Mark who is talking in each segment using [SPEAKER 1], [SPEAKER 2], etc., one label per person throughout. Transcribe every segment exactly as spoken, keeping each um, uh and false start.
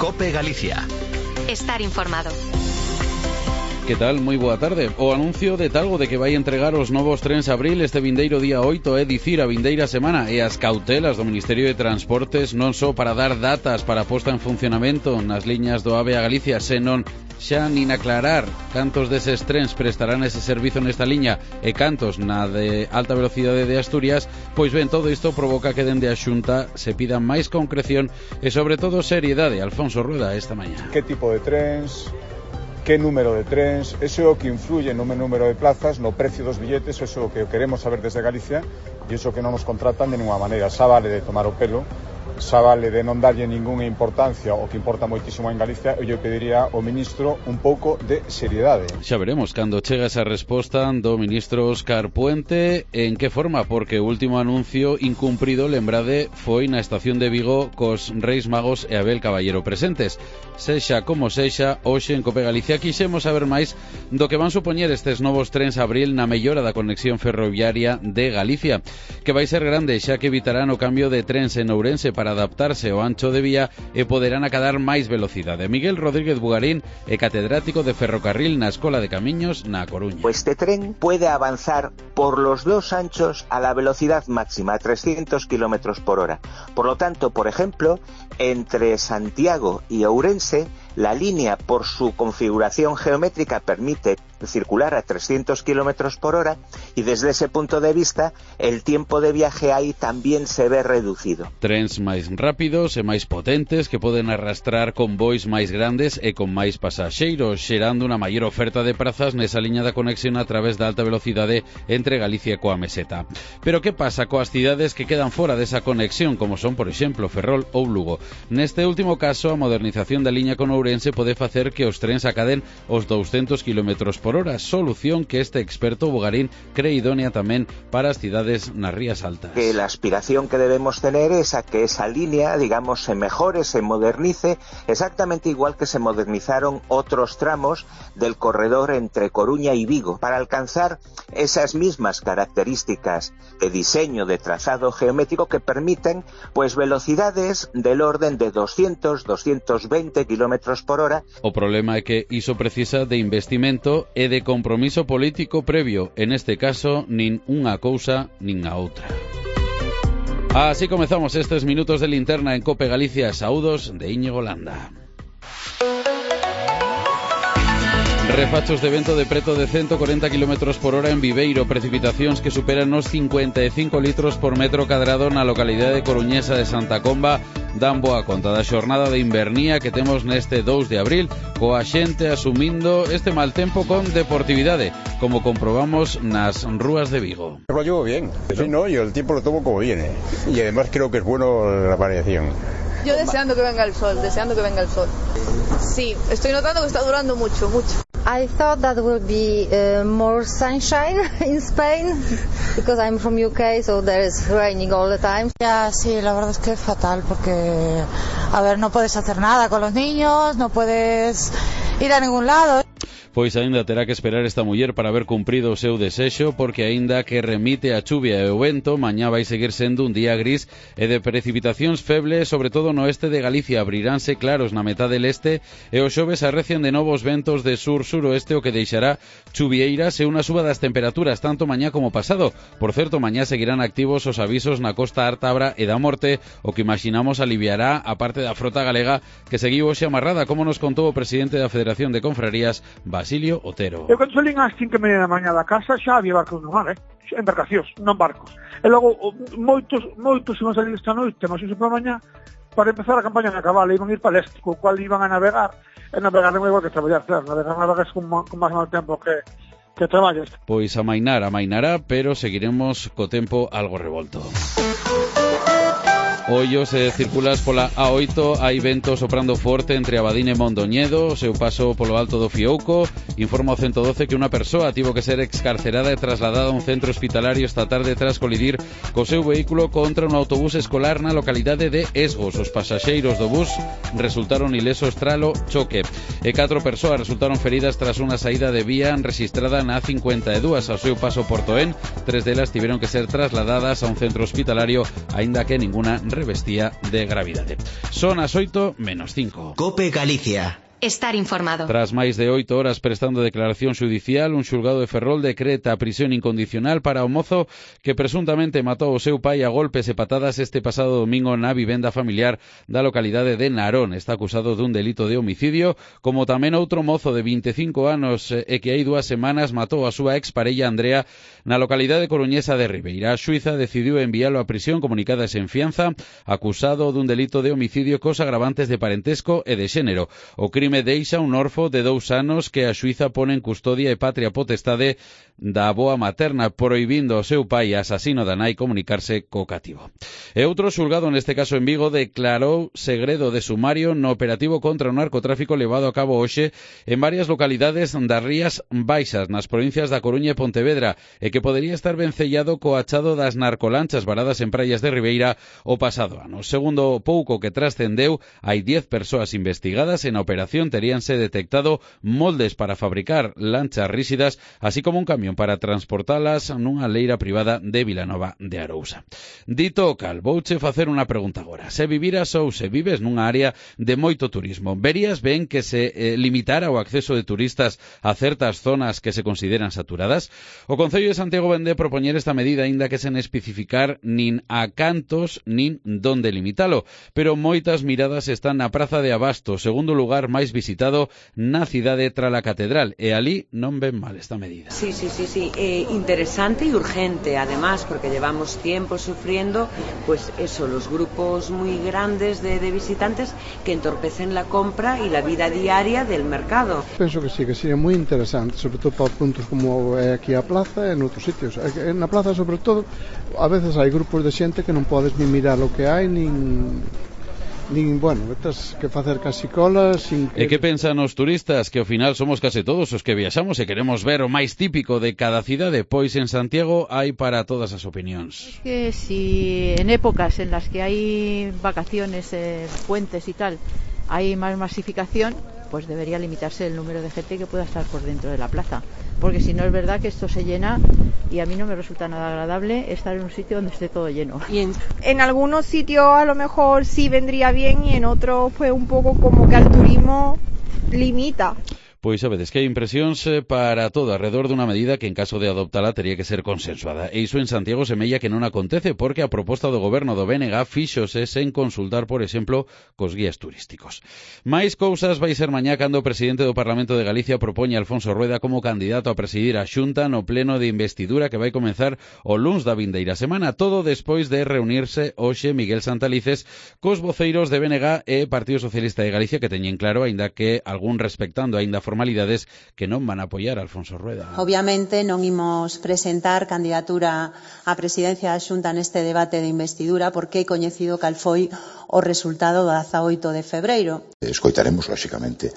[SPEAKER 1] COPE Galicia.
[SPEAKER 2] Estar informado.
[SPEAKER 3] Que tal? Moi boa tarde. O anuncio de Talgo de que vai entregar os novos trens Abril este vindeiro día oito, é dicir, a vindeira semana, e as cautelas do Ministerio de Transportes non só para dar datas para a posta en funcionamento nas liñas do AVE a Galicia, senón xa nin aclarar cantos deses trens prestarán ese servizo nesta liña e cantos na de alta velocidade de Asturias. Pois ben, todo isto provoca que dende a Xunta se pida máis concreción e sobre todo seriedade. Alfonso Rueda esta mañá.
[SPEAKER 4] Que tipo de trens? Que número de trens? Eso é o que influye no número de plazas, no precio dos billetes. Eso é o que queremos saber desde Galicia e iso que non nos contratan de ninguna maneira. Xa vale de tomar o pelo, xa vale de non darlle ningunha importancia, o que importa moitísimo en Galicia. Eu pediría ao ministro un pouco de seriedade.
[SPEAKER 3] Xa veremos cando chega esa resposta do ministro Óscar Puente en que forma, porque o último anuncio incumprido, lembrade, foi na estación de Vigo cos Reis Magos e Abel Caballero presentes. Sexa como sexa, hoxe en COPE Galicia quixemos saber máis do que van supoñer estes novos trens Abril na mellora da conexión ferroviaria de Galicia, que vai ser grande xa que evitarán o cambio de trens en Ourense para adaptarse ao ancho de vía e poderán acadar máis velocidade. Miguel Rodríguez Bugarín é catedrático de ferrocarril na Escola de Camiños na Coruña.
[SPEAKER 5] Este tren puede avanzar por los dos anchos a la velocidad máxima, a trescientos kilómetros por hora. Por lo tanto, por ejemplo, entre Santiago y Ourense, la línea, por su configuración geométrica, permite circular a trescientos kilómetros por hora y desde ese punto de vista el tiempo de viaje ahí también se ve reducido.
[SPEAKER 3] Trens máis rápidos e máis potentes que poden arrastrar convois máis grandes e con máis pasaxeiros, xerando unha maior oferta de prazas nesa liña da conexión a través da alta velocidade entre Galicia e coa Meseta. Pero que pasa coas cidades que quedan fora desa conexión, como son, por exemplo, Ferrol ou Lugo? Neste último caso, a modernización da liña con Ourense pode facer que os trens acaden os douscentos kilómetros por hora, solución que este experto Bugarín cree idónea tamén para as cidades nas rías altas.
[SPEAKER 5] Que la aspiración que debemos tener es a que esa línea, digamos, se mejore, se modernice, exactamente igual que se modernizaron otros tramos del corredor entre Coruña y Vigo, para alcanzar esas mismas características de diseño, de trazado geométrico que permiten pues velocidades del orden de doscientos, doscientos veinte kilómetros por hora.
[SPEAKER 3] O problema é que iso precisa de investimento e de compromiso político previo, en este caso nin unha cousa nin a outra. Así comezamos estes minutos de linterna en COPE Galicia. Saúdos de Íñigo Landa. Refachos de vento de preto de ciento cuarenta kilómetros por hora en Viveiro, precipitacións que superan os cincuenta e cinco litros por metro cadrado na localidade coruñesa de Santa Comba. Dan boa conta da xornada de invernía que temos neste dous de abril, coa xente asumindo este mal tempo con deportividade, como comprobamos nas rúas de Vigo.
[SPEAKER 6] Lo llevo bien, sí, no, yo el tiempo lo tomo como viene y además creo que es bueno la variación.
[SPEAKER 7] Yo deseando que venga el sol, deseando que venga el sol. Sí, estoy notando que está durando mucho, mucho.
[SPEAKER 8] I thought that will be uh, more sunshine in Spain because I'm from U K, so there is raining all the time.
[SPEAKER 9] Ya, sí, la verdad es que es fatal porque, a ver, no puedes hacer nada con los niños, no puedes ir a ningún lado.
[SPEAKER 3] Pois aínda terá que esperar esta muller para ver cumprido o seu desexo, porque aínda que remite a chuvia e o vento, mañá vai seguir sendo un día gris e de precipitacións febles, sobre todo no oeste de Galicia. Abriránse claros na metade leste e o xoves arrecian de novos ventos de sur-suroeste, o que deixará chuvieiras e unha suba das temperaturas tanto mañá como pasado. Por certo, mañá seguirán activos os avisos na costa ártabra e da morte, o que imaginamos aliviará a parte da frota galega que seguiu hoxe amarrada, como nos contou o presidente da Federación de Confrarías, Basilio Otero.
[SPEAKER 10] Eu cando salín ás cinco e media da mañá da casa xa había barcos no mar, eh? Embarcacións, non barcos. E logo moitos, moitos iban salir esta noite, mas iso por mañá, para empezar a campaña na cabala, iban ir para leste, co cual iban a navegar, e navegar non é igual que traballar, claro, navegar navegas con, con máis mal tempo que, que traballas.
[SPEAKER 3] Pois amainar, amainará, pero seguiremos co tempo algo revolto. Ollo, se circulas pola A oito, hai vento soprando forte entre Abadín e Mondoñedo, o seu paso polo alto do Fiouco. Informa o ciento doce que unha persoa tivo que ser excarcerada e trasladada a un centro hospitalario esta tarde tras colidir co seu vehículo contra un autobús escolar na localidade de Esgos. Os pasaxeiros do bus resultaron ilesos tralo choque e catro persoas resultaron feridas tras unha saída de vía registrada na cincuenta e dúas ao seu paso por Toén. Tres delas tiveron que ser trasladadas a un centro hospitalario, aínda que ninguna revestía de gravidade. Son as oito menos cinco.
[SPEAKER 1] Cope Galicia.
[SPEAKER 2] Estar informado.
[SPEAKER 3] Tras máis de oito horas prestando declaración xudicial, un xulgado de Ferrol decreta a prisión incondicional para o mozo que presuntamente matou o seu pai a golpes e patadas este pasado domingo na vivenda familiar da localidade de Narón. Está acusado dun delito de homicidio, como tamén outro mozo de vinte e cinco anos e que hai dúas semanas matou a súa exparella Andrea na localidade coruñesa de Ribeira. A xuíza decidiu enviálo a prisión comunicada sen fianza, acusado dun delito de homicidio cos agravantes de parentesco e de xénero. O crime me deixa un orfo de dous anos que a xuíza pone en custodia e patria potestade da avoa materna, prohibindo ao seu pai asasino da nai comunicarse co cativo. E outro xulgado, neste caso en Vigo, declarou segredo de sumario no operativo contra o narcotráfico levado a cabo hoxe en varias localidades das Rías Baixas, nas provincias da Coruña e Pontevedra, e que podería estar vencellado co achado das narcolanchas varadas en praias de Ribeira o pasado ano. Segundo o pouco que trascendeu, hai dez persoas investigadas en a operación. Teríanse detectado moldes para fabricar lanchas rígidas, así como un camión para transportalas nunha leira privada de Vilanova de Arousa. Dito o cal, vouche facer unha pregunta agora. Se viviras ou se vives nunha área de moito turismo, verías ben que se eh, limitara o acceso de turistas a certas zonas que se consideran saturadas? O Concello de Santiago vén de propoñer esta medida, aínda que sen especificar nin a cantos nin donde limitalo, pero moitas miradas están na Praza de Abasto, segundo lugar máis visitado na cidade tras a catedral, e ali non ven mal esta medida.
[SPEAKER 11] Sí, sí, sí, sí, eh, interesante y urgente, además, porque llevamos tiempo sufriendo, pues eso, los grupos muy grandes de, de visitantes que entorpecen la compra y la vida diaria del mercado.
[SPEAKER 12] Penso que sí, que sería moi interesante, sobre todo para puntos como é aquí a plaza e en outros sitios. Na plaza, sobre todo, a veces hai grupos de xente que non podes ni mirar o que hai, nin... nin, bueno, tens que facer casi colas sin que...
[SPEAKER 3] E que pensan os turistas? Que ao final somos case todos os que viaxamos e queremos ver o máis típico de cada cidade, pois en Santiago hai para todas as opinións.
[SPEAKER 13] Que si en épocas en las que hai vacaciones, eh, puentes y tal, hay más masificación, pues debería limitarse el número de gente que pueda estar por dentro de la plaza, porque si no es verdad que esto se llena y a mí no me resulta nada agradable estar en un sitio donde esté todo lleno.
[SPEAKER 14] Y en, en algunos sitios a lo mejor sí vendría bien y en otros pues un poco como que al turismo limita.
[SPEAKER 3] Pois sabedes que hai impresións para todo alrededor dunha medida que en caso de adoptala tería que ser consensuada. E iso en Santiago semella que non acontece porque a proposta do goberno do B N G fíxose sen consultar, por exemplo, cos guías turísticos. Mais cousas vai ser mañá cando o presidente do Parlamento de Galicia propoña a Alfonso Rueda como candidato a presidir a Xunta no pleno de investidura que vai comenzar o luns da vindeira semana, todo despois de reunirse hoxe Miguel Santalices cos voceiros de B N G e Partido Socialista de Galicia que teñen claro, aínda que algún respectando aínda formalidades, que non van a apoiar a Alfonso Rueda.
[SPEAKER 15] Obviamente non imos presentar candidatura á presidencia da Xunta neste debate de investidura porque é coñecido cal foi o resultado do dezaoito de febreiro.
[SPEAKER 16] Escoitaremos, lóxicamente,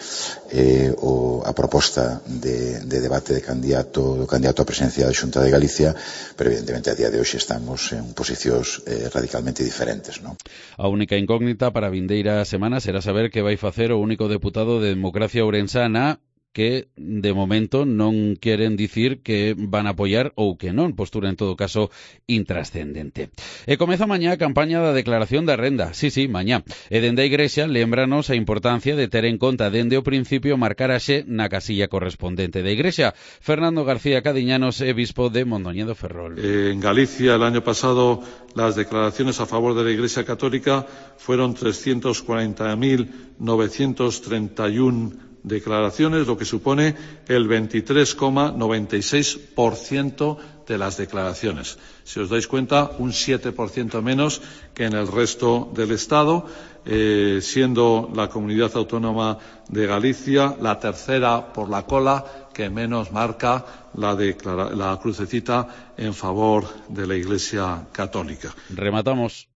[SPEAKER 16] eh, o, a proposta de, de debate de candidato do candidato á presidencia da Xunta de Galicia, pero evidentemente a día de hoxe estamos en posicións eh, radicalmente diferentes, non?
[SPEAKER 3] A única incógnita para a vindeira semana será saber que vai facer o único deputado de Democracia Ourensana que de momento non queren dicir que van a apoiar ou que non, postura en todo caso intrascendente. E comeza mañá a campaña da declaración da renda, sí, sí, mañá. E dende a Igrexa lembranos a importancia de ter en conta dende o principio marcar a xe na casilla correspondente da Igrexa. Fernando García Cadiñanos é bispo de Mondoñedo Ferrol.
[SPEAKER 17] Eh, en Galicia el año pasado las declaraciones a favor de la Iglesia Católica fueron trescientos cuarenta mil novecientos treinta y uno declaraciones, lo que supone el veintitrés coma noventa y seis por ciento de las declaraciones. Si os dais cuenta, un siete por ciento menos que en el resto del Estado, eh, siendo la comunidad autónoma de Galicia la tercera por la cola que menos marca la, declara- la crucecita en favor de la Iglesia Católica.
[SPEAKER 3] Rematamos.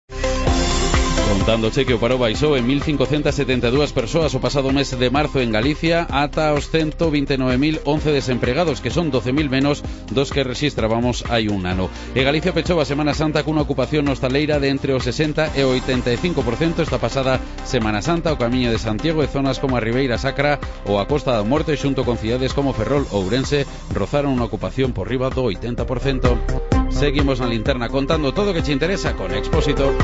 [SPEAKER 3] Contándoche que o paro baixou en mil cincocentas setenta e dúas persoas o pasado mes de marzo en Galicia ata os ciento vinte e nove mil once desempregados, que son doce mil menos dos que rexistrábamos hai un ano. E Galicia pechou a Semana Santa cunha ocupación hostaleira de entre o sesenta e o oitenta e cinco por cento esta pasada Semana Santa. O Camiño de Santiago e zonas como a Ribeira Sacra ou a Costa da Morte xunto con cidades como Ferrol ou Ourense rozaron unha ocupación por riba do oitenta por cento. Seguimos na linterna contando todo o que che interesa con Expósito.